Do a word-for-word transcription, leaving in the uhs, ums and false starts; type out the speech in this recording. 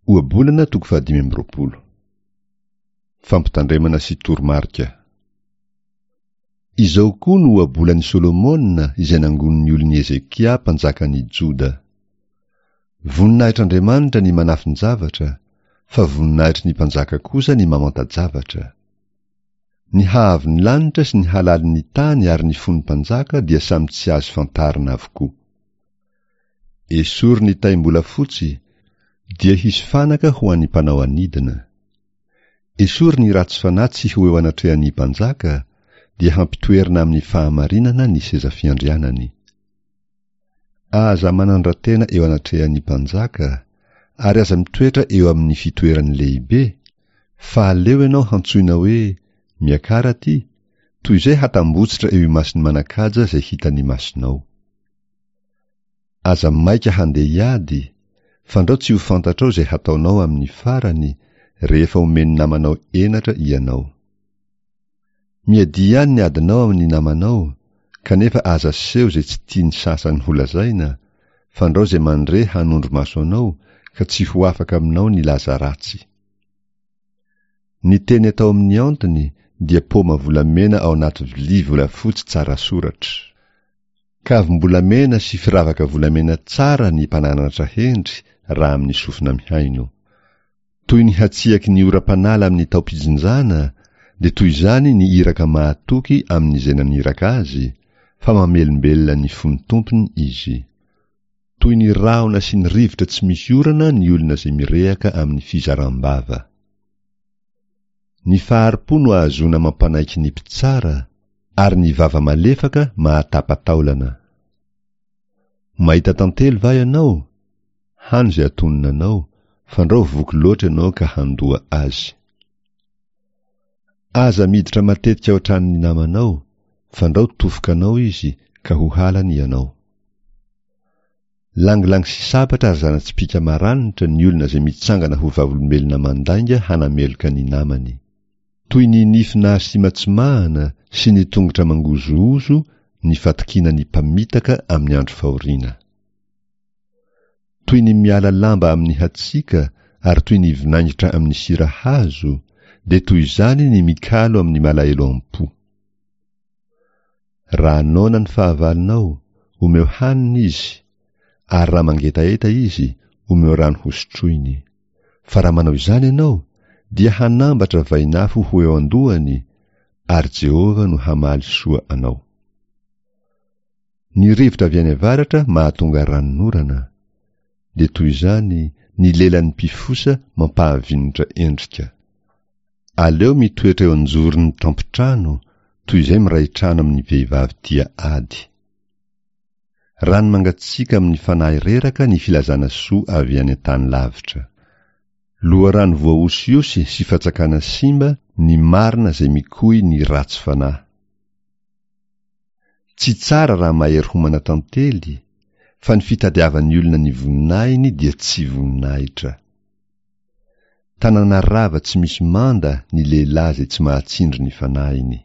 Ohabolana toko fahadimy amby roapolo. Fampitandremana sy toromarika. Izao koa no ohabolan'i Solomona izay nangonin'ny olon'i Hezekia mpanjakan'i Joda. Voninahitr'Andriamanitra ny manafin-javatra, fa voninahitry ny mpanjaka kosa ny mamanta-javatra. Ny haavon'ny lanitra sy ny halalin'ny tany ary ny fon'ny mpanjaka dia samy tsy azo fantarina avokoa. Esory ny taim-bolafotsy, dia hisy fanaka ho an'ny mpanao anidina. Esory ny ratsy fanahy tsy ho eo anatrehan'ny mpanjaka, dia hampitoerina amin'ny fahamarinana ny seza fiandrianany. Aza manandra-tena eo anatrehan'ny mpanjaka, ary aza mitoetra eo amin'ny fitoerany lehibe, fa aleo ianao hantsoina hoe, Miakara aty, toy izay hatambotsitra eo imason'ny manan-kaja izay hitan'ny masonao. Aza maika handeha hiady, fandrao tsy ho fantatrao izay hataonao amin'ny farany, rehefa omen'ny namanao henatra ianao. Miadia ihany ny adinao amin'ny namanao, kanefa aza aseho izay tsy tian'ny sasany holazaina, fandrao izay mandre hanondro maso anao, ka tsy ho afaka aminao ny laza ratsy. Ny teny atao amin'ny antony dia paoma volamena ao anaty vilia volafotsy tsara soratra. Kavim-bolamena sy firavaka volamena tsara ny mpananatra hendry raha amin'ny sofina mihaino. Toy ny hatsiaky ny oram-panala amin'ny taom-pijinjana, dia toy izany ny iraka mahatoky amin'izay naniraka azy, fa mamelombelona ny fon'ny tompony izy. Toy ny rahona sy ny rivotra tsy misy orana ny olona izay mirehaka amin'ny fizaram-bava. Ny fahari-po no ahazoana mampanaiky ny mpitsara, ary ny vava malefaka mahatapa-taolana. Mahita tantely va ianao? Hano izay atonina anao, fandrao voky loatra ianao ka handoa azy. Aza miditra matetika ao an-tranon'ny namanao, fandrao tofoka anao izy ka ho halany ianao. Langilangy sy sabatra ary zana-tsipìka maranitra ny olona izay mitsangana ho vavolombelona mandainga hanameloka ny namany. Toy ny nify nahasimantsimahana sy ny tongotra mangozohozo ny fatokiana ny mpamitaka amin'ny andro fahoriana. Toy ny miala lamba amin'ny hatsiaka ary toy ny vinaingitra amin'ny sira hazo, dia toy izany ny mikalo amin'ny malahelo am-po. Raha noana ny fahavalonao, omeo hanina izy, ary raha mangetaheta izy, omeo rano hosotroiny. Fa raha manao izany ianao, dia hanambatra vainafo ho eo an-dohany, ary Jehovah no hamaly soa anao. Ny rivotra avy any avaratra mahatonga ranonorana, dia toy izany ny lelan'ny mpifosa mampahavinitra endrika. Aleo mitoetra eo an-joron'ny tampon-trano toy izay miray trano amin'ny vehivavy tia ady. Rano mangatsiaka amin'ny fanahy reraka ny filazana soa avy any an-tany lavitra. Loharano voahosihosy sy fatsakana simba ny marina izay mikoy ny ratsy fanahy. Tsy tsara raha mahery homana tantely, fa ny fitadiavan'ny olona ny voninahiny dia tsy voninahitra. Tanàna rava tsy misy manda ny lehilahy izay tsy mahatsindry ny fanahiny.